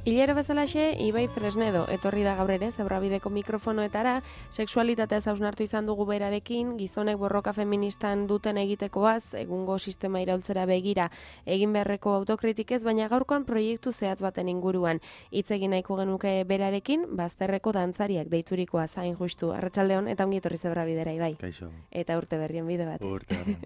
Hilero bezalaxe, Ibai Fresnedo, etorri da gaur ere, Zebrabideko mikrofonoetara, sexualitatea hausnartu izan dugu berarekin, gizonek borroka feministan duten egitekoaz, egungo sistema iraultzera begira, egin beharreko autokritikez, baina gaurkoan proiektu zehatz baten inguruan. Hitz egin nahiko genuke berarekin, bazterreko dantzariak deiturikoa zain justu. Arratsaldeon eta ongi etorri Zebrabidera, Ibai. Kaixo. Eta urte berrien bide batez. Urte berrien.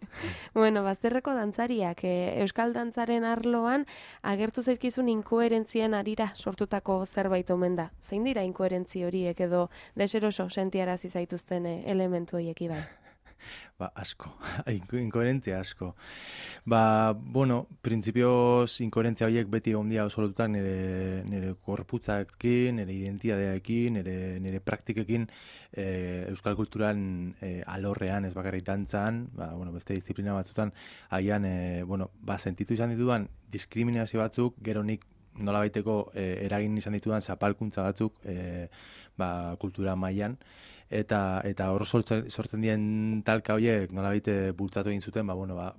Bueno, bazterreko dantzariak, euskal dantzaren arloan, agertu zaizkizun inkoherentzien arira sortutako zerbait omen da. Zein dira inkoherentzi horiek edo deseroso sentiarazi zaituzten elementu horiek, Ibai? Asko. Inkoherentzia asko. Bueno, printzipioz inkoherentzia horiek beti ondia osolotutak nire korputzakin, nire identitatearekin, nire praktikekin euskal kulturan alorrean, ez bakarrik dantzan, beste disiplina batzutan, haian, sentitu izan ditudan diskriminazio batzuk, gero nik nolabaiteko eragin izan ditudan zapalkuntza batzuk kultura mailan, eta hor sortzen dien talka horiek nolabait bultzatu egin zuten,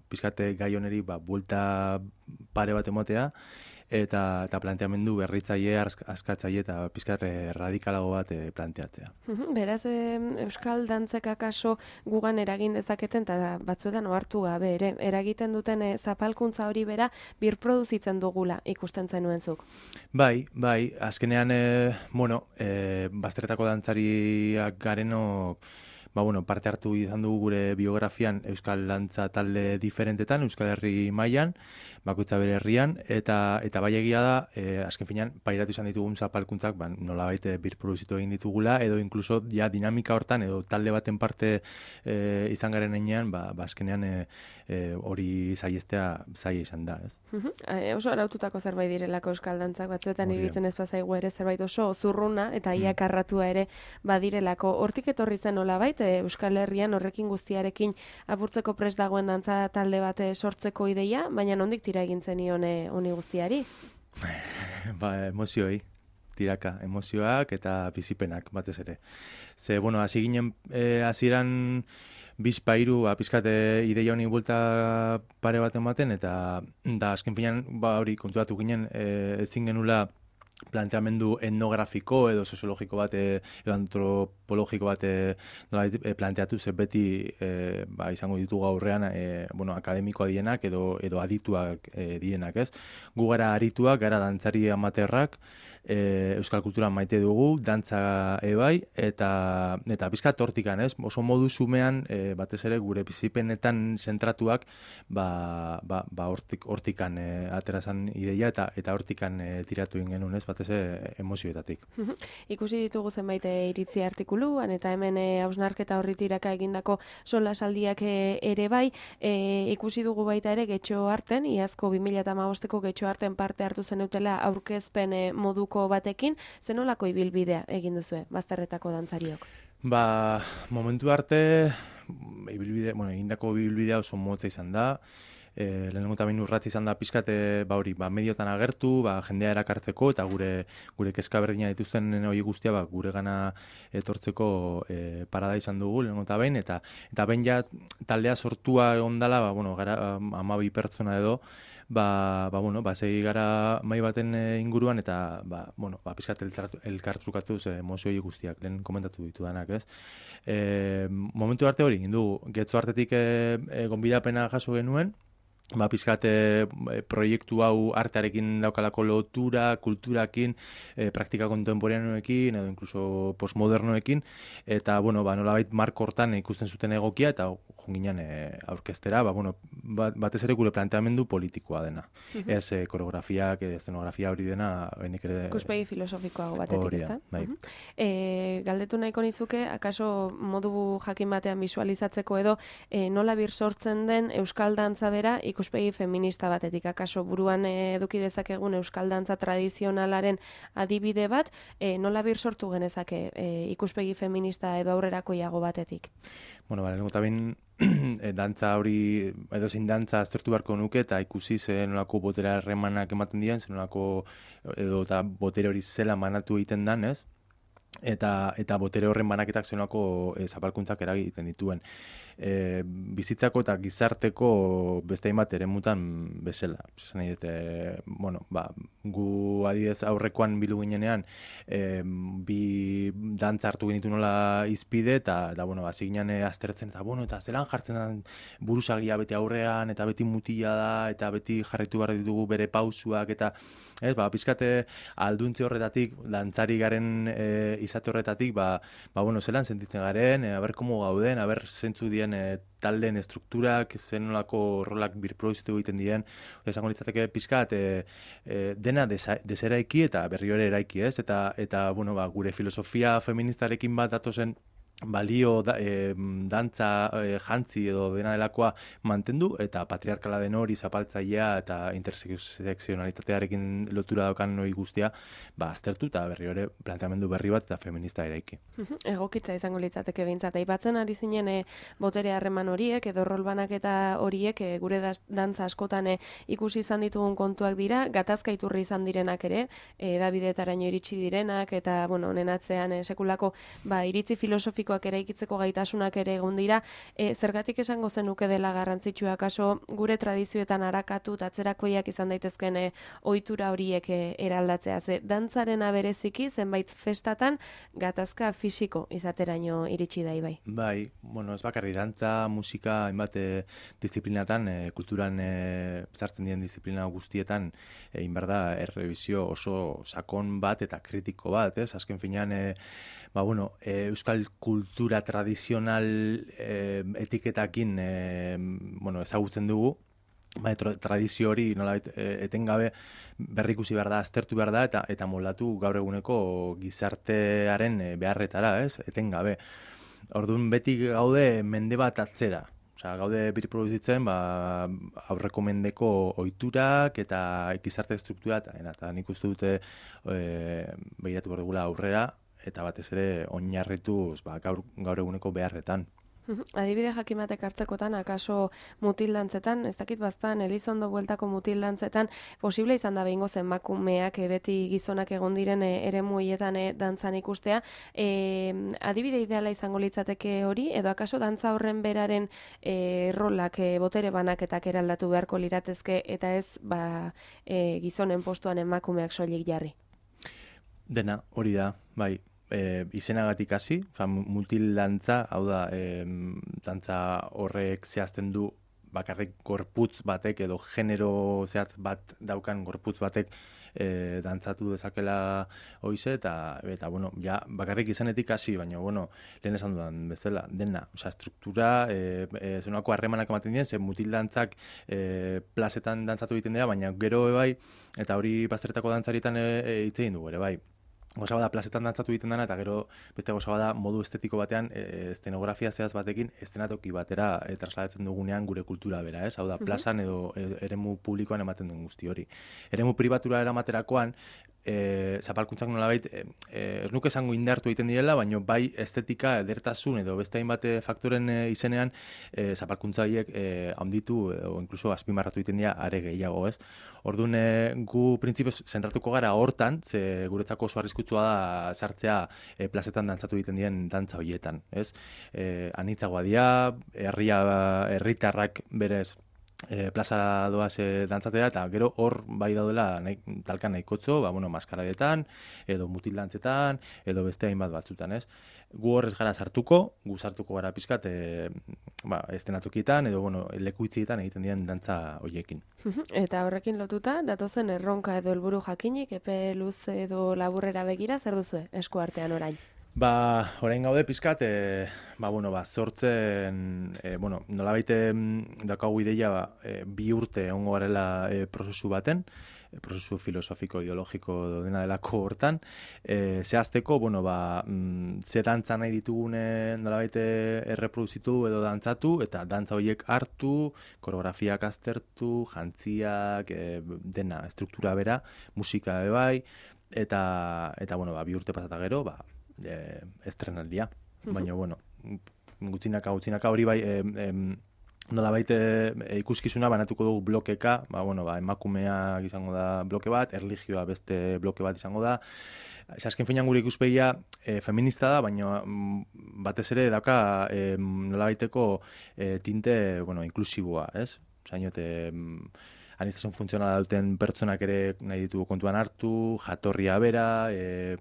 pizkate gai honeri buelta pare bat emotea, eta planteamendu berritzaile, askatzaile eta pizkat radikalago bat planteatzea. Beraz, euskal dantzek akaso gugan eragin dezaketen, eta batzuetan ohartu gabe ere, eragiten duten zapalkuntza hori bera birproduzitzen dugula ikusten zenuen zuk. Bai, azkenean, bazterretako dantzariak garenok, parte hartu izan dugu gure biografian euskal dantza talde diferentetan, Euskal Herri mailan, bakoitza bere herrian, eta bai egia da, azken finean, pairatu izan ditugun zapalkuntzak, nolabait birproduzitu egin ditugula, edo inkluso dinamika hortan, edo talde baten parte izan garen heinean, azkenean hori saiestea zaila izan da, ez? Oso araututako zerbait direlako euskal dantzak, batzuetan iruditzen ez bazaigu ere zerbait oso zurruna, eta iakarratua ere badirelako. Hortik etorri zen nolabait, Euskal Herrian horrekin guztiarekin apurtzeko prest dagoen dantza talde bat sortzeko ideia, baina nondik tira egin zenion honi guztiari? Emozioi, tiraka, emozioak eta bizipenak batez ere. Hasi ginen hasieran bizpairu, pizkate ideia honi buelta pare bat ematen, eta azken finean hori kontuatu ginen ezin genula planteamendu etnografiko edo soziologiko bat, edo antropologiko bat planteatu, ze beti izango ditugu aurrean akademikoa dienak edo adituak dienak, ez? Gu gara arituak, gara dantzari amaterrak, euskal kultura maite dugu, dantza ebai, eta bizkat hortikan, ez? Oso modu zumean, batez ere gure bizipenetan zentratuak, hortikan aterazan ideia, eta hortikan tiratu genuen, ez? Batez emozioetatik. Ikusi ditugu zenbait iritzi artikuluan, eta hemen hausnarketa horri tiraka egindako solasaldiak ere bai, ikusi dugu baita ere Getxo Arten, iazko 2015ko Getxo Arten parte hartu zenutela aurkezpen moduko batekin, zenolako ibilbidea egin duzue bazterretako dantzariok? Momentu arte, egindako ibilbidea oso motza izan da. Lehenengo eta behin urratz izan da pizkate mediotan agertu, jendea erakartzeko, eta gure kezka berdina dituzten hori guztia gure gana etortzeko parada izan dugu lehenengo eta behin, eta behin ja taldea sortua ondala, gara 12 pertsona edo, segi gara mai baten inguruan, eta pizkat elkartrukatuz emozioi guztiak, lehen komentatu ditudanak, ez? Momentu arte hori, Getxo Artetik gonbidapena jaso genuen, pizkate proiektu hau artearekin daukalako lotura, kulturakin, praktika kontemporaneoekin, edo inkluso postmodernoekin, eta, nolabait marko hortan ikusten zuten egokia, eta jonginen aurkeztera, batez ere gure planteamendu politikoa dena. Ez koreografiak, eszenografia hori dena, ikuspegi filosofikoago batetik, ezta? Bai. Galdetu nahiko nizuke, akaso modu jakin batean visualizatzeko edo, nola bir sortzen den euskal dantza bera ikuspegi feminista batetik, akaso buruan eduki dezakegun euskal dantza tradizionalaren adibide bat, nola bir sortu genezake ikuspegi feminista edo aurrerakoiago batetik? Lehenengo eta behin dantza hori, edo zein dantza aztertu beharko nuke, eta ikusi nolako botere harremanak ematen diren, nolako edo eta botere hori zela manatu egiten dan, ez? Eta botere horren banaketak zenolako zapalkuntzak eragiten dituen. bizitzako eta gizarteko beste hainbat eremutan bezala. Esan nahi dute, bueno, gu adidez aurrekoan bildu ginenean, bi dantza hartu genitu nola izpide, eta bueno, ziginen aztertzen, eta zelan jartzen den buruzagia beti aurrean, eta beti mutila da, eta beti jarraitu behar ditugu bere pausuak, eta pizkate alduntze horretatik, dantzari garen izate horretatik, bueno, zelan sentitzen garen, aber komo gauden, aber zentzu dien taldeen estrukturak, zenolako rolak birproduzitu egiten dien, esango litzateke pizkat, dena deseraiki eta berri hori eraiki, ez? Eta bueno, gure filosofia feministarekin bat datozen balio dantza jantzi edo dena delakoa mantendu, eta patriarkala den hori zapaltzailea eta intersekzionalitatearekin lotura daukan hori guztia aztertu eta berri hori planteamendu berri bat eta feminista eraiki. Egokitza izango litzateke behintzat. Aipatzen ari zinen botere harreman horiek edo rolbanak eta horiek gure dantza askotan ikusi izan ditugun kontuak dira, gatazka iturri izan direnak ere, Davidetaraino iritsi direnak eta bueno, honen atzean sekulako iritzi filosofiko eraikitzeko gaitasunak ere egon dira, zergatik esango zenuke dela garrantzitsua kaso gure tradizioetan arakatu eta atzerakoiak izan daitezken ohitura horiek eraldatzea. Dantzaren bereziki zenbait festatan gatazka fisiko izateraino iritsi da ibai. Bai, bueno, ez bakarri dantza, musika, hainbat disiplinatan, kulturan sartzen dien disiplina guztietan, inberda errebizio oso sakon bat eta kritiko bat, ez? Azken finean, euskal kultura tradizional etiketakin ezagutzen dugu, tradizio hori nolabait etengabe berrikusi behar da, aztertu behar da, eta moldatu gaur eguneko gizartearen beharretara, ez? Etengabe. Orduan beti gaude mende bat atzera. Gaude birproduzitzen aurreko mendeko ohiturak eta gizarte estruktura, eta nik uste dute behiratu behar dugula aurrera, eta batez ere oinarrituz gaur eguneko beharretan. Adibide jakimatek hartzekotan, akaso mutildantzetan, ez dakit bastan, Elizondo bueltako mutildantzetan, posible izan da behingo emakumeak beti gizonak egon diren eremu hietan dantzan ikustea. Adibide ideala izango litzateke hori, edo akaso dantza horren beraren rolak, botere banaketak eraldatu beharko liratezke, eta ez gizonen postuan emakumeak soilik jarri? Dena, hori da, bai. Izenagatik hasi, mutildantza, hau da, dantza horrek zehazten du bakarrik gorputz batek edo genero zehatz bat daukan gorputz batek dantzatu dezakela hoize, eta bueno, ja, bakarrik izanetik hasi, baina, bueno, lehen esan dudan bezala, dena, struktura, zenolako harremanak ematen dien, mutildantzak plazetan dantzatu egiten dira, baina gero bai, eta hori bazterretako dantzarietan hitz egin dugu ere bai. Goza bada plazetan dantzatu egiten dena, eta gero beste goza bada modu estetiko batean estenografia zehaz batekin estenatoki batera trasladatzen dugunean gure kultura bera, ez? Hau da, plazan edo eremu publikoan ematen duen guzti hori. Eremu pribatura eramaterakoan, zapalkuntzak nolabait, ez nuke esango indartu egiten direla, baina bai estetika, edertasun edo beste hainbat faktoren izenean zapalkuntza horiek handitu edo inkluso azpimarratu egiten dira are gehiago, ez? Orduan, gu printzipioz zentratuko gara hortan, ze guretzako oso arriskutsua da sartzea plazetan dantzatu egiten diren dantza horietan, ez? Anitzagoa dira, herritarrak berez plaza doaz dantzatera, eta gero hor bai daudela talkan nahikotxo, maskaradetan, edo mutildantzetan, edo beste hainbat batzutan, ez? Gu horrez gara sartuko, gara pizkat estenatokietan, edo leku itzietan egiten diren dantza horiekin. Eta horrekin lotuta, datozen erronka edo helburu jakinik, epe luz edo laburrera begira, zer duzu esku artean orain? Orain gaude pizkat, sortzen, nolabait daukagu ideia bi urte egongo garela prozesu baten, prozesu filosofiko, ideologiko dena delako hortan, zehazteko, ze dantza nahi ditugune nolabait erreproduzitu edo dantzatu, eta dantza horiek hartu, koreografiak aztertu, jantziak, dena, struktura bera, musika bai, eta bi urte pasata gero, estrenaldia. Baina, gutxinaka hori bai, nolabait ikuskizuna banatuko dugu blokeka, emakumeak izango da bloke bat, erlijioa beste bloke bat izango da. Azken finean gure ikuspegia feminista da, baina batez ere dauka nolabaiteko tinte, inklusiboa, ez? Zainote, aniztasun funtzionala duten pertsonak ere nahi ditugu kontuan hartu, jatorria bera,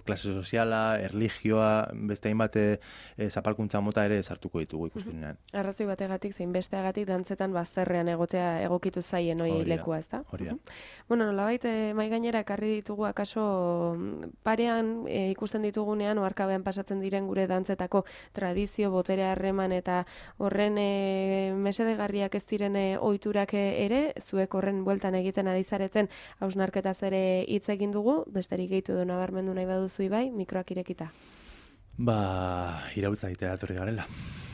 klase soziala, erlijioa, beste hainbat zapalkuntza mota ere sartuko ditugu ikuskizunean. Arrazoi bategatik, zein besteagatik dantzetan bazterrean egotea egokitu zaien hori lekua, ezta? Hori da. Nolabait mai gainera ekarri ditugu akaso parean ikusten ditugunean oharkabean pasatzen diren gure dantzetako tradizio, botere harreman eta horren mesedegarriak ez diren ohiturak ere, zuek horren bueltan egiten ari zareten hausnarketaz ere hitz egin dugu, besterik gehitu edo nabarmendu nahi baduzu Ibai, mikroak irekita. Iraultza egitea datorri garela.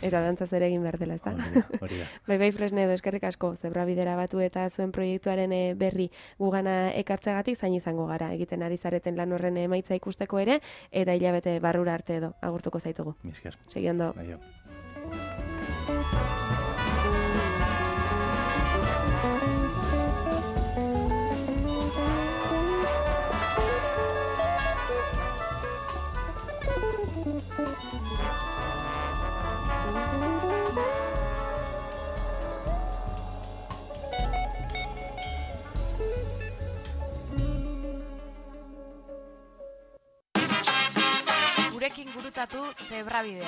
Eta dantzaz ere egin behar dela, ezta? Hori da. Bai, Fresnedo, eskerrik asko, Zebrabidera batu eta zuen proiektuaren berri gugana ekartzegatik zain izango gara, egiten ari zareten lan horren emaitza ikusteko ere, eta hilabete barrura arte edo, agurtuko zaitugu. Esker. Segi ondo. Bai, Gurekin gurutzatu Zebrabidea.